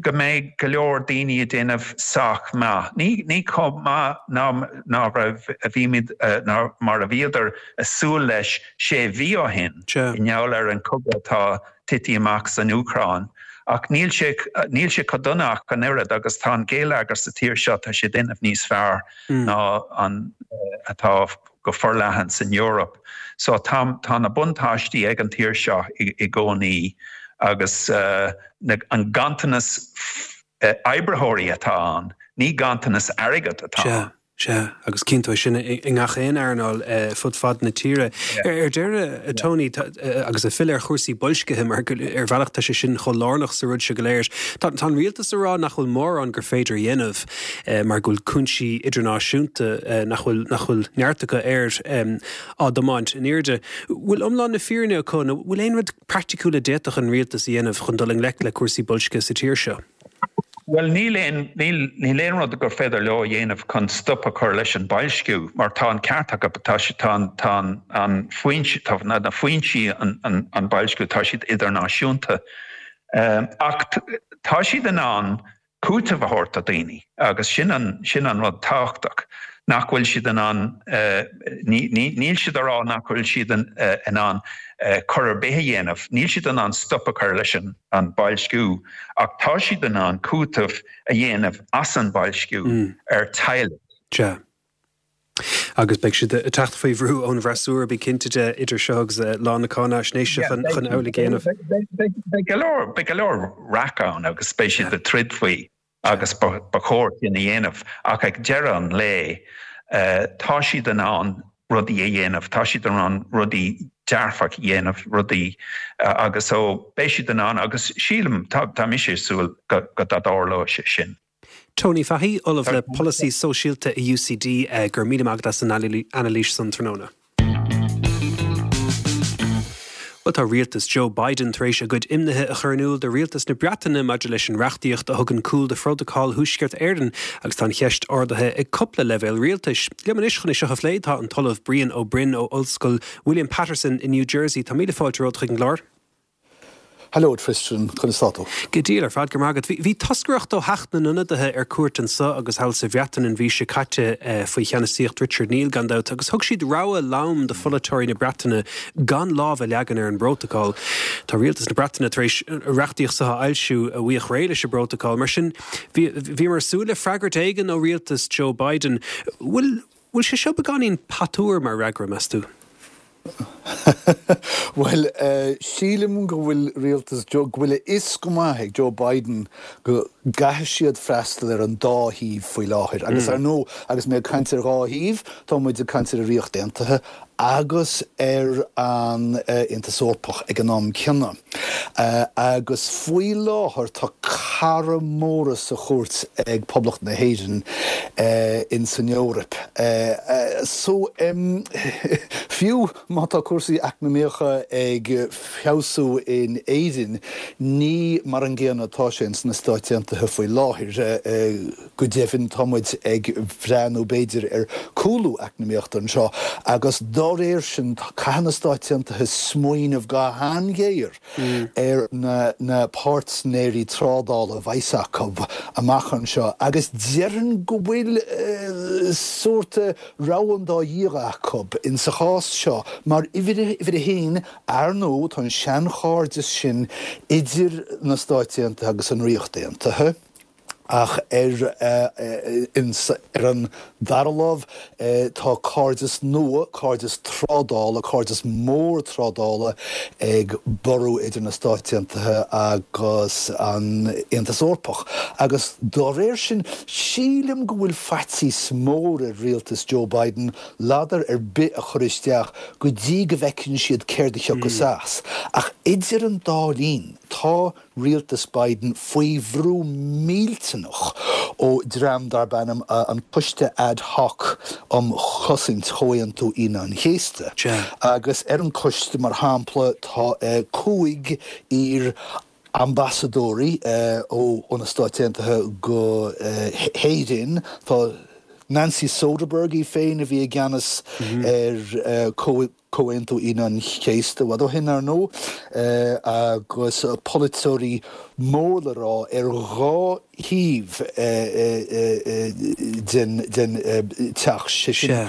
S7: go mbeidh go leor daoine ag déanamh sách maith. Ní ní chomh maith ná ná raibh a bhímid ná mar a bhíodar ag súil leis sé mhí ó shin i ngeall ar an cogadh atá tite amach san Úcráin. Ach níl sé níl sé chomh dona ach an oiread agus tá an géilleagar sa tír seo tá sé ag déanamh níos fearr ná an atá go forleathan san Eoraip. So tá tá na buntáistí ag an tír seo i i gcónaí agus na an ganntanas oibritheoirí atá ann, ní ganntanas airgead atá ann.
S1: Sea, agus cíonn tú é sin i ngach aon earnáil fud fad na tíre. Ar deireadh, a Tony, agus ag filleadh ar chúrsaí boilscithe, mar ar bhealach tá sé sin chomh lárnach sa rud seo go léir, tá an rialtas ag rá nach bhfuil mórán gur féidir a dhéanamh mar go bhfuil cúinsí idirnáisiúnta nach bhfuil nach bhfuil neart acu air á dtiomáint in airde. Bhfuil iomlán na fírinne acu nó bhfuil aon rud praiticiúil a d'fhéadfadh an rialtas a dhéanamh chun dul i ngleic le cúrsaí boilscithe sa tír seo?
S7: Bhuel, níl aon, níl, níl aon rud gur féidir leo a dhéanamh chun stop a chur leis an boilsciú, mar tá an ceart acu, tá sé, tá an, tá an, an foinse, tá na, na foinsí an, an, an boilsciú, tá siad idirnáisiúnta. Ach tá siad in ann cúiteamh a thabhairt do dhaoine agus sin an, sin an rud tábhachtach. nach bhfuil siad in ann, níl siad ag rá nach bhfuil siad in ann cor ar bith a dhéanamh, níl siad in ann stop a chur leis an boilsciú, ach tá siad in ann cúiteamh a dhéanamh as an boilsciú ar teaghlaigh.
S1: Sea. Agus beidh siad ag teacht faoi bhrú ón bhfreasúra, bí cinnte de, idir seo agus lá na cáinaisnéise chun amhlaidh a dhéanamh.
S7: Beidh go leor, beidh go leor raic ann agus beidh siad ag troid faoi. agus ba chóir sin a dhéanamh, ach ag deireadh an lae tá siad in ann rudaí a dhéanamh, tá siad in ann rudaí dearfach a dhéanamh, rudaí agus so beidh siad in ann agus sílim, tá mise ag súil go dtarlóidh sé sin.
S1: Tony Fahy, Ollamh le Polasaí Sóisialta i UCD, go raibh míle maith agat as an anailís san tráthnóna. Bhuel, tá rialtas Joe Biden tar éis a gcuid imnithe a chur in iúl do rialtas na Breataine maidir leis an reachtaíocht a thugann cúl do Phrótacal Thuaisceart Éireann agus tá an cheist ardaithe ag cúpla leibhéal rialtais. Liom anois chun é seo a phlé tá an tOllamh Brian Ó Broin ó Ollscoil William Paterson i New Jersey. Tá míle fáilte romhat chuig an gclár.
S8: Hello Tristan, conas tá tú?
S1: Go diail ar fad, go raibh maith agat. Bhí toscaireacht ó Theach na nIonadaithe ar cuairt anseo agus thall sa Bhreatain an mhí seo caite faoi cheannasaíocht Richard Neal gan dabht agus thug siad rabhadh lom do pholaiteoirí na Breataine gan lámh a leagan ar an bprótacal. Tá rialtas na Breataine tar éis an reachtaíocht seo a fhoilsiú a bhuíoch réidh leis an bprótacal. Mar sin, bhíomar ag súil le freagairt éigin ó rialtas Joe Biden. Bhfuil sé seo beagáinín patuar mar fhreagra, meas tú?
S8: Bhuel, sílim go bhfuil rialtas Joe, go bhfuil a fhios go maith ag Joe Biden go gcaithfidh siad freastal ar an dá thaobh faoi láthair. Agus ar ndóigh, agus mé ag caint ar dhá thaobh, tá muid ag caint ar an Ríocht Aontaithe agus ar an Aontas Eorpach ag an am céanna. Agus faoi láthair tá cara móra sa chúirt ag Poblacht na hÉireann ins an Eoraip. So, fiú má tá cúrsaí eacnamaíocha ag feabhsú in Éirinn, ní mar an gcéanna atá sé ins na Stáit Aontaithe faoi láthair. Go deimhin, tá muid ag breathnú, b'fhéidir, ar cúlú eacnamaíochta anseo agus dá réir sin, caithfidh na Stáit Aontaithe smaoineamh go han-ghéar ar na páirtnéirí trádála a bheas acu amach anseo agus déarfainn go bhfuil sórt rogha an dá dhia acu insa chás seo mar uimhir a haon, ar ndóigh, tá an seanchairdeas sin idir na Stáit Aontaithe agus an Ríocht Aontaithe. Ach ar ar an dara lámh, tá cairdeas nua, cairdeas trádála, cairdeas mór trádála ag borradh idir na Stáit Aontaithe agus an Aontas Eorpach. Agus dá réir sin, sílim go bhfuil faitíos mór ar rialtas Joe Biden ladar ar bith a chur isteach go dtí go bhfeiceann siad céard a thiocfas as. Ach idir an dá linn, tá rialtas Biden faoi bhrú millteanach ó dream darb ainm an Coiste Ad Hoc um Chosaint Chomhaontú Aoine an Chéasta. Agus ar an coiste mar shampla tá cúig iar ambasadóirí ó na Stáit Aontaithe go hÉirinn, tá Nancy Soderberg í féin a bhí i gceannas ar Comhaontú Aoine an Chéasta i bhfad ó shin ar ndóigh, agus polaiteoirí mór le rá ar dhá thaobh den teach, sé sin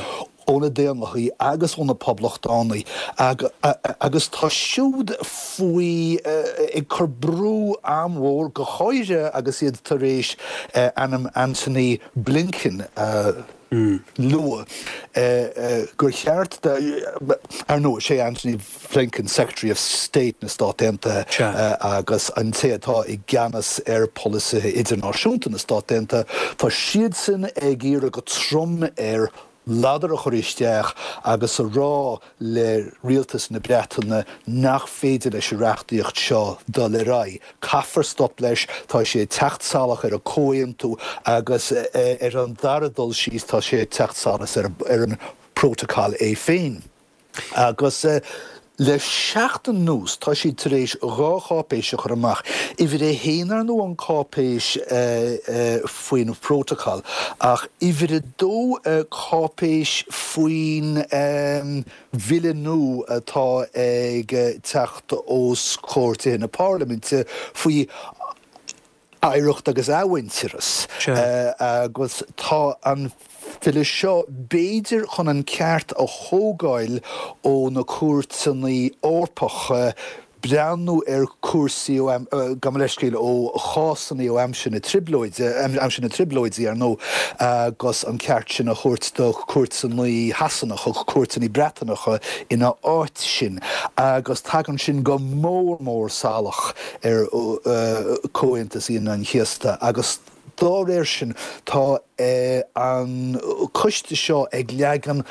S8: ó na Daonlathaigh agus ó na Poblachtánaigh, agus tá siúd faoi ag cur brú an-mhór, go háirithe agus iad tar éis ainm Antony Blinken a lua, gur cheart do, ar ndóigh, sé Antony Blinken Secretary of State na Stát Aontaithe agus an té atá i gceannas ar pholasaithe idirnáisiúnta na Stát Aontaithe, tá siadsan ag iarraidh go trom air ladar a chur isteach agus a rá le rialtas na Breataine nach féidir leis an reachtaíocht seo dul ar aghaidh. Caithfear stop leis, tá sé ag teacht salach ar an gcomhaontú agus ar an dara dul síos tá sé ag teacht salach ar an bprótacal é féin. Agus le seachtain anuas tá siad tar éis dhá cháipéis a chur amach. Uimhir a haon ar ndóigh an cáipéis faoin phrótacal ach uimhir a dó cáipéis faoin bhille nua atá ag teacht os comhair Tithe na Parlaiminte faoi oidhreacht agus athmhuintearas agus tá an bille seo b'fhéidir chun an ceart a thógáil ó na cúirteanna Eorpacha breathnú ar chúrsaí ó, gabh mo leithscéal, ó chásanna ó aimsir na Trioblóide, aimsir na Trioblóidí ar ndóigh, agus an ceart sin a thabhairt do chúirteanna Shasanacha, cúirteanna Breatanacha ina áit sin. Agus tagann sin go mór mór salach ar Chomhaontas Aoine an Chéasta agus dá réir sin tá an coiste seo ag leagan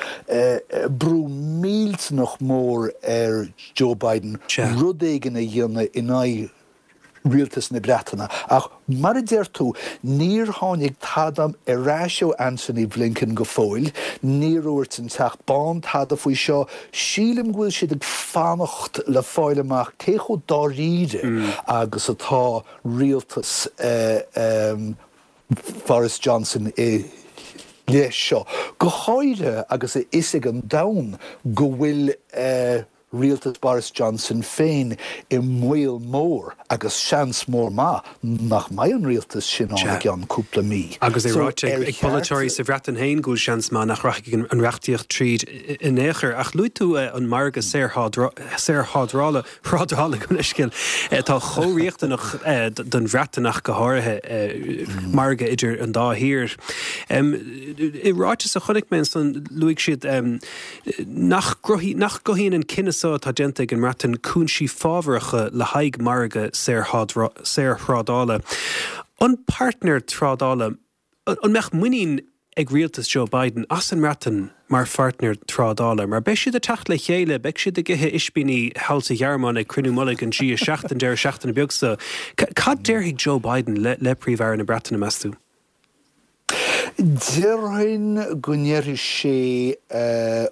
S8: brú millteanach mór ar Joe Biden rud éigin a dhéanamh in aghaidh rialtas na Breataine. Ach mar a deir tú, níor tháinig tada ar ais ó Antony Blinken go fóill, níor dhúirt an Teach Bán tada faoi seo. Sílim go bhfuil siad ag fanacht le fáil amach cé chomh dáiríre agus atá rialtas Boris Johnson i leith seo, go háirithe agus a fhios ag an domhan go bhfuil rialtas Boris Johnson féin i mbaol mór agus seans mór maith nach mbeidh an rialtas sin ann i gceann cúpla mí.
S1: Agus é ráite ag polaiteoirí sa Bhreatain féin go bhfuil seans maith nach rachaidh an reachtaíocht tríd in aon chor. Ach luaigh tú an margadh saorthrádála, thrádála gabh mo leithscéal, atá chomh riachtanach don Bhreatain ach go háirithe, margadh idir an dá thír. I ráiteas a chonaic mé ansan luaigh siad nach gcruthaíonn an cinneadh so atá déanta ag an mBreatain cúinsí fábhracha le haghaidh margadh saorthrádála. An páirtnéir trádála, an mbeadh muinín ag rialtas Joe Biden as an mBreatain mar pháirtnéir trádála? Mar beidh siad ag teacht le chéile, beidh siad ag ithe ispíní thall sa Ghearmáin ag cruinniú mullaigh an G a seacht an deireadh seachtaine beag so. Cad déarfaidh Joe Biden le Príomh-Aire na Breataine, meas tú?
S8: Déarfainn go ndéarfaidh sé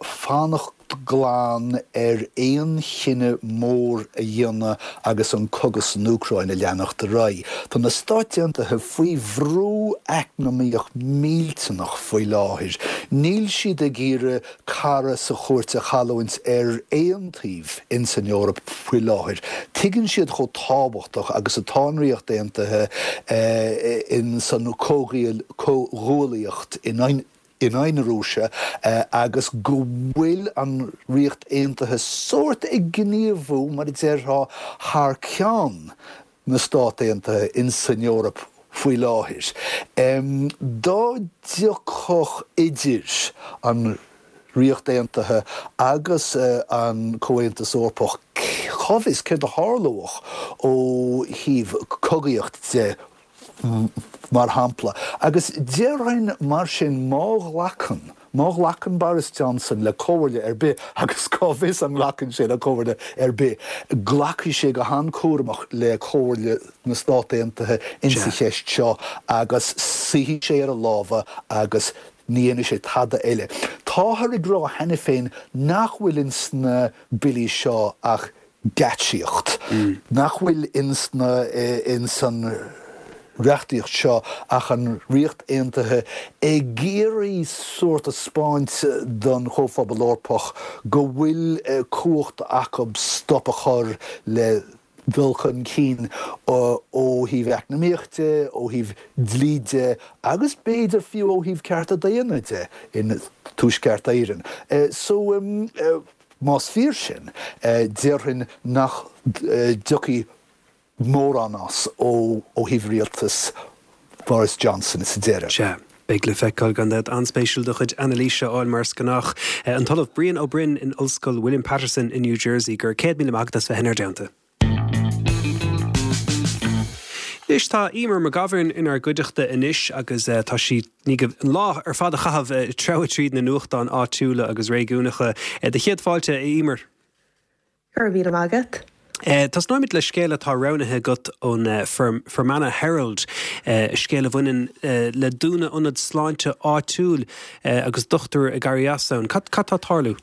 S8: fanacht glan ar aon chinneadh mór a dhéanamh agus an cogadh san Úcráin ag leanacht ar aghaidh. Tá na Stáit Aontaithe faoi bhrú eacnamaíoch millteanach faoi láthair. Níl siad ag iarraidh cara sa chúirt a chailliúint ar aon taobh ins an Eoraip faoi láthair. Tuigeann siad chomh tábhachtach agus atá an Ríocht Aontaithe ins an chomhghuaillíocht in aghaidh na Rúise agus go bhfuil an Ríocht Aontaithe sórt ag gníomhú, mar a déarfá, thar ceann na Stát Aontaithe ins an Eoraip faoi láthair. Dá dtiocfadh idir an Ríocht Aontaithe agus an Comhaontas Eorpach, cá bhfios céard a tharlódh ó thaobh cogaíocht de, mar shampla. Agus déarfainn mar sin má ghlacann Má ghlacann Boris Johnson le comhairle ar bith, agus cá bhfios an nglacann sé le comhairle ar bith, glacfaidh sé go han-chúramach le comhairle na Stát Aontaithe insa cheist seo agus suífidh sé ar a lámha agus ní dhéanfaidh sé tada eile. Táthar ag rá cheana féin nach bhfuil ins na billí seo ach geáitsíocht, nach bhfuil ins na ins an reachtaíocht seo ach an Ríocht Aontaithe ag iarraidh sórt a 'speáint don Chomhphobal Eorpach go bhfuil cumhacht acu stop a chur le dul chun cinn ó thaobh eacnamaíoch de, ó thaobh dlí de agus b'fhéidir fiú ó thaobh cearta daonna de in Tuaisceart Éireann. So más fíor sin, déarfainn nach dtiocfaidh mórán as ó thaobh rialtas Boris Johnson sa deireadh.
S1: Sea, beidh le feiceáil gan dabht. An-spéisiúil do chuid anailíse a fháil mar is gnách. An tOllamh Brian Ó Broin in Ollscoil William Paterson i New Jersey, go raibh céad míle maith agat as bheith inár dteannta. Anois tá Eimear McGovern inár gcuideachta anois agus tá sí i ndiaidh an lá ar fad a chaitheamh ag treabhadh tríd na nuachtáin áitiúla agus réigiúnacha. Do chéad fáilte, a Eimear.
S9: Go raibh míle maith agat.
S1: Tosnóimid le scéal atá roghnaithe agat ón Fermanagh Herald, scéal a bhaineann le dúnadh ionad sláinte áitiúil agus dochtúir ag éirí as ann. Cad tá ag tarlú?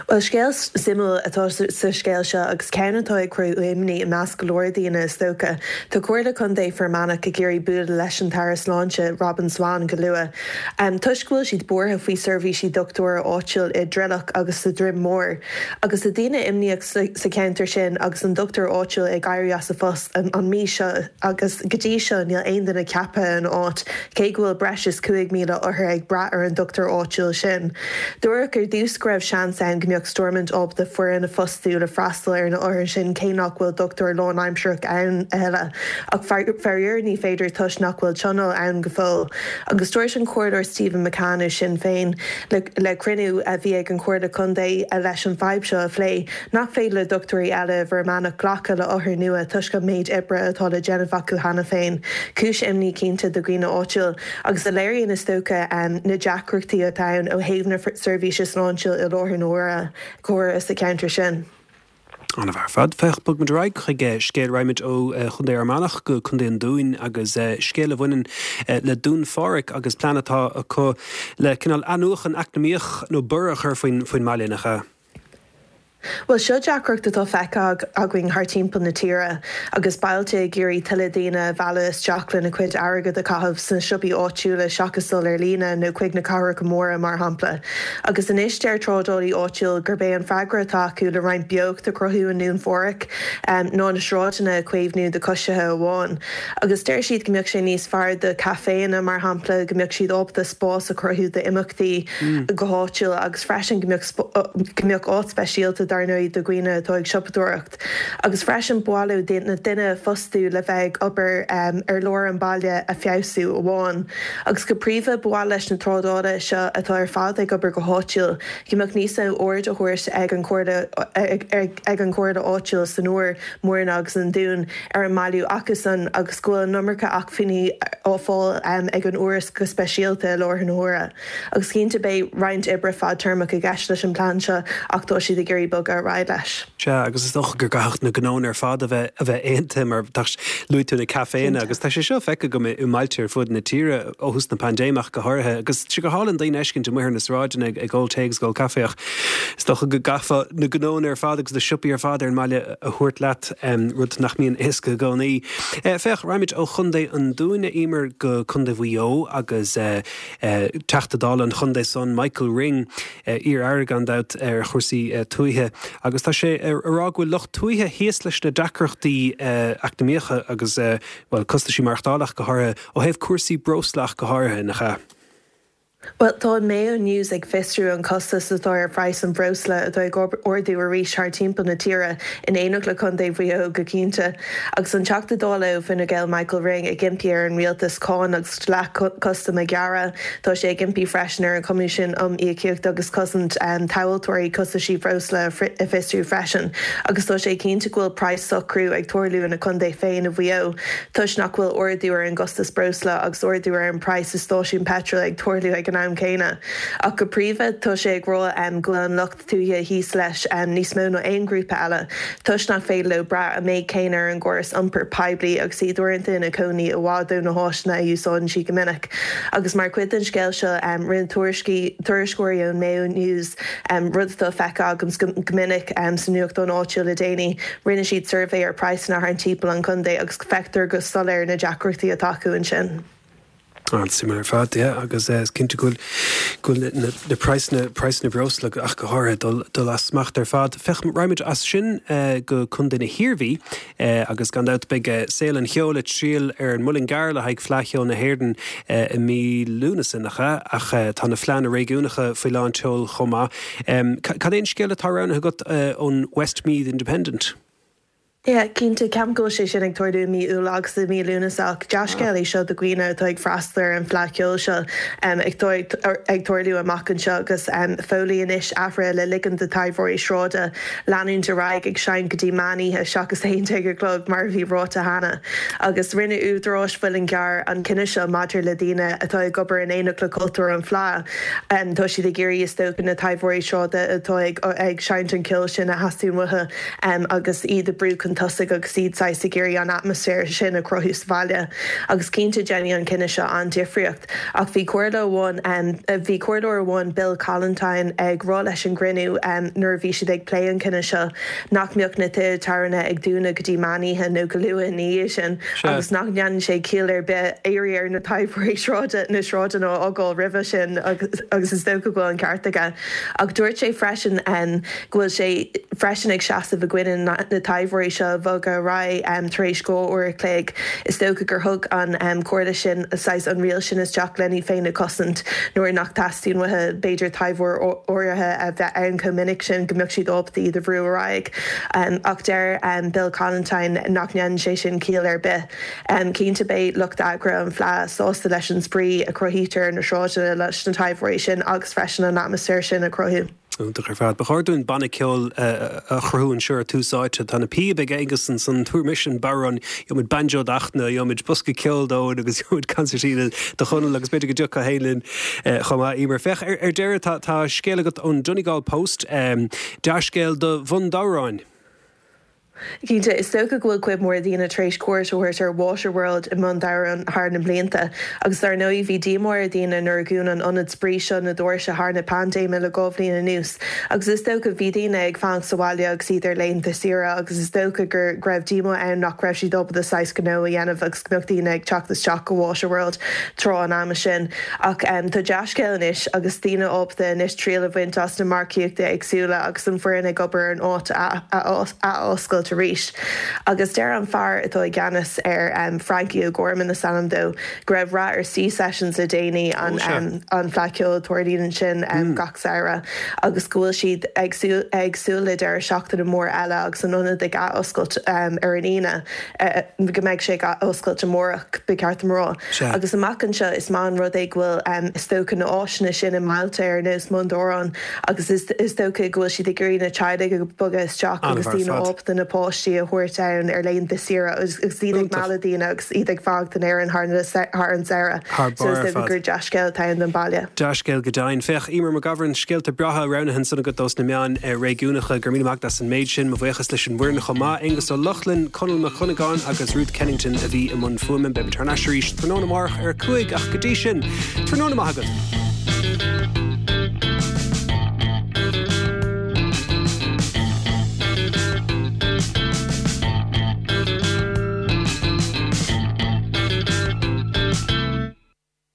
S9: Bhuel, scéal suimiúil atá sa scéal seo agus ceann atá ag cruthú imní i measc go leor daoine is dócha. Tá Comhairle Contae Fear Manach ag iarraidh bualadh leis an tAire Sláinte, Robin Swann, go luath toisc go bhfuil siad buartha faoi seirbhísí dochtúra áitiúil i dTrileach agus sa Droim Mór. Agus tá daoine imníoch sa cheantar sin agus an dochtúir áitiúil ag éirí as a phost an mhí seo agus go dtí seo níl aon duine ceaptha ina áit, cé go bhfuil breis is cúig mhíle othar ag brath ar an dochtúir áitiúil sin. Dúradh ar dtús go raibh seans ann go mbeadh Stormont ábalta foireann a fhostú le freastal ar na othair sin cé nach bhfuil dochtúir lánaimsearach ann a thuilleadh. Ach faraor ní féidir toisc nach bhfuil tionól ann go fóill. Agus dúirt an Comhairleoir Stephen McCann ó Sinn Féin le cruinniú a bhí ag an Chomhairle Contae leis an bhfadhb seo a phlé, nach féidir le dochtúirí eile i bhFear Manach glacadh le othair nua toisc an méid oibre atá le déanamh acu cheana féin. Cúis imní cinnte do dhaoine áitiúil agus a léiríonn is dócha na deacrachtaí atá ann ó thaobh na seirbhíse sláinte i láthair na huaire córa sa cheantar sin.
S1: An-mhaith ar fad. Féach, bogfaimid ar aghaidh chuig scéal, raghaimid ó Chontae Fhear Manach go Contae an Dúin agus scéal a bhaineann le Dún Phádraig agus plean atá acu le cineál athnuachan eacnamaíoch nó borradh a chur faoin faoin mbaile, nach ea?
S9: Bhuel, seo deacracht atá feicthe againn thar timpeall na tíre, agus bailte ag iarraidh tuilleadh daoine a mhealladh isteach lena cuid airgead a chaitheamh sna siopaí áitiúla seachas dul ar líne nó chuig na cathracha móra, mar shampla. Agus anois deir trádálaí áitiúil gurb é an freagra atá acu le roinnt beocht a chruthú i nDún Phádraig ná na sráideanna a chaomhnú do choisithe amháin. Agus deir siad go mbeadh sé níos fearr do chaiféanna, mar shampla, go mbeadh siad ábalta spás a chruthú d'imeachtaí go háitiúil agus freisin go mbeadh go mbeadh áit speisialta dar ndóigh do dhaoine atá ag siopadóireacht agus freisin ba mhaith leo na duine a fhostú le bheith ag obair ar lár an bhaile a feabhsú amháin. Agus go príomha ba mhaith leis na trádálaithe seo atá ar fad ag obair go háitiúil go mbeadh níos mó aird á thabhairt ag an chomhairle ag an chomhairle áitiúil san Iúr, Mhúrna agus an Dún ar an mbailiú acusan agus go bhfuil an iomarca acmhainní á fáil ag an Iúr go speisialta i láthair na huaire. Agus cinnte beidh roinnt oibre fadtéarmach i gceist leis an bplean seo ach tá siad ag iarraidh bogadh ar aghaidh leis.
S1: Sea, agus is dócha go gcaithfeadh na gnónna ar fad a bheith a bheith aontaithe mar tá luaigh tú na caiféanna agus tá sé seo feicthe agam i mbailte ar fud na tíre ó thús na paindéime ach go háirithe agus tá sé go hálainn daoine a fheiscint amuigh ar na sráideanna ag ag ól tae agus ag ól caife ach is dócha go gcaithfeá na gnónna ar fad agus na siopaí ar fad ar an mbaile a thabhairt leat, rud nach mbíonn éasca i gcónaí. Féach, raghaimid ó Chontae an Dúin, a Eimear, go Contae Mhaigh Eo agus Teachta Dála an chontae san, Michael Ring, iar-aire gan dabht ar chúrsaí tuaithe, agus tá sé ag rá go bhfuil lucht tuaithe thíos leis na deacrachtaí eacnamaíocha agus, bhuel, costaisí maireachtála ach go háirithe, ó thaobh cúrsaí breosla ach go háirithe, nach ea?
S9: Bhuel, tá an Mayo News ag fiosrú an costas atá ar phraghas an bhreosla atá ag ardú arís thar timpeall na tíre, in éineacht le Contae Mhaigh Eo go cinnte. Agus an Teachta Dála ó Fine Gael Michael Ring ag impí ar an rialtas cáin agus dleacht custaim a ghearradh, tá sé ag impí freisin ar an Choimisiún um Iomaíocht agus Cosaint Tomhaltóirí costaisí breosla a fiosrú freisin. Agus tá sé cinnte go bhfuil praghas socrú ag tarlú ina chontae féin i Mhaigh Eo toisc nach bhfuil ardú ar an gcostas breosla agus ardú ar an praghas i stáisiún peitril ag tarlú ag an an am céanna. Ach go príomha tá sé ag rá go bhfuil an lucht tuaithe thíos leis níos mó ná aon ghrúpa eile, toisc nach féidir leo brath an méid céanna ar an gcóras iompair poiblí agus iad uaireanta ina gcónaí i bhfad ó na háiseanna a úsáideann siad go minic. Agus mar chuid den scéal seo rinne tuairisceoirí ón Mayo News, rud atá feicthe agam go minic sa nuachtán áitiúil le déanaí, rinne siad suirbhé ar praghsanna thart timpeall an chontae agus feictear go soiléir na deacrachtaí atá acu ansin.
S1: An-suimiúil ar fad, yeah, agus is cinnte go bhfuil na praghsanna, praghsanna breosla ach go háirithe, dul, dul as smacht ar fad. Féach, raghaimid as sin go Contae na hIarmhí agus gan dabht beidh saol an cheoil ag triall ar an Muileann gCearr le haghaidh Fleadh Cheoil na hÉireann i mí Lúnasa, nach ea? Ach tá na fleánna réigiúnacha faoi lán tseoil chomh maith. Cad é an scéal atá roghnaithe agat ón Westmeath Independent?
S9: Yeah, cinnte, ceapaim go bhfuil sé sin ag tarlú i mí Iúil agus i mí Lúnasa ach dea-scéal é seo do dhaoine atá ag freastal ar an bhFleadh Cheoil seo ag tarlú amach anseo agus fóillí anois athraithe le ligean do taibheoirí sráide leanúint ar aghaidh ag seinnt go dtí meán oíche seachas a haon déag a chlog mar a bhí ráite cheana. Agus rinne údaráis Mhuileann gCearr an cinneadh seo maidir le daoine atá ag obair in éineacht le cultúr an Fleadh. Tá siad ag iarraidh is dócha na taibheoirí sráide atá ag seinnt an ceol sin a theastaíonn uathu agus iad a brú chun tosaigh agus iad saghas ag iarraidh an atmaisféar sin a chruthú sa bhaile. Agus cinnte déanfaidh an cinneadh seo an-difríocht. Ach bhí comhairle amháin, bhí comhairleoir amháin, Bill Collentine, ag rá leis an gcruinniú nuair a bhí siad ag plé an cinneadh seo nach mbeadh na tithe tábhairne ag dúnadh go dtí meán oíche nó go luath ina dhiaidh sin agus nach ndéanann sé ciall ar bith iarraidh ar na taibheoirí sráide na sráideanna a fhágáil roimhe sin agus is dócha go bhfuil an ceart aige. Ach dúirt sé freisin go bhfuil sé freisin ag seasamh i gcoinne na taibheoirí seo a bhogadh ar aghaidh tar éis dhá uair a chloig. Is dócha gur thug an chomhairle sin saghas an riail sin isteach lena iad féin a chosaint nuair nach dteastaíonn uathu b'fhéidir taibheoir áirithe a bheith ann chomh minic sin go mbeadh siad ábalta iad a bhrú ar aghaidh. Ach deir Bill Collentine nach ndéanann sé sin ciall ar bith. Cinnte beidh lucht eagraithe an Fleadh sásta leis an spraoi a chruthaítear ar na sráideanna leis na taibheoirí sin agus freisin an atmaisféar sin a chruthú.
S1: Iontach ar fad. Ba chóir dúinn banna ceoil a chruthú anseo ar Tús Áite. Tá na píob ag Aengus ansan, tabhair mise an bodhrán, gheobhaimid banjo d'Fhachtna, gheobhaimid bosca ceoil d'Eoin agus gheobhaimid concertina do Chonall agus b'fhéidir go dtiocfá féin linn chomh maith, Emer. Féach, ar deireadh tá tá scéal agat ón Donegal Post, dea-scéal do Bhun Dobhráin.
S9: Cinnte, is dócha go bhfuil cuid mhór daoine tar éis cuairt a thabhairt ar Waterworld i mBun Dobhráin thar na blianta, agus dar ndóigh bhí díomá ar dhaoine nuair a dhún an ionad spraoi seo na doirse thar na paindéime le dhá bhliain anuas. Agus is dócha bhí daoine ag fanacht sa bhaile agus iad ar laethanta saoire agus is dócha go raibh díomá ann nach raibh siad ábalta saghas gnó a dhéanamh agus go mbeadh daoine ag teacht isteach go Waterworld tráth an ama sin. Ach tá dea-scéal anois agus daoine ábalta anois triail a bhaint as na marcaíochtaí éagsúla agus an foireann ag obair ar an áit a athoscailt arís. Agus deir an fear atá i gceannas ar Frankie O'Gorman is ainm dó, go raibh rath ar Sea Sessions le déanaí, an an fleadh ceoil a tarlaíonn ansin gach samhradh, agus go bhfuil siad ag ag súil le deireadh seachtaine mór eile agus an ionad ag athoscailt ar an Aoine, go mbeidh sé ag athoscailt amárach, ba cheart dom a rá. Agus amach anseo is maith an rud é go bhfuil is dócha na áiseanna sin i mbailte ar nós Bhun Dobhráin agus is dócha go bhfuil siad ag iarraidh na teaghlaigh a bogadh isteach agus daoine ábalta na páistí a thabhairt ann ar laethanta saoire agus iad ag mealladh daoine agus iad ag fanacht in Éirinn thar an samhradh. So is dócha gur dea-scéal atá ann don bhaile.
S1: Dea-scéal go deimhin. Féach, Emer McGovern, scéalta breátha roghnaithe ansan agat dos na meáin réigiúnacha. Go raibh míle maith agat as an méid sin. Mo bhuíochas leis an bhfoireann chomh maith, Aonghus Ó Lochlainn, Conall Mac Cuinneagáin agus Ruth Kennington a bhí i mbun fuaime. Beimid thar n-ais arís tráthnóna amárach ar a cúig ach go dtí sin, tráthnóna maith agat.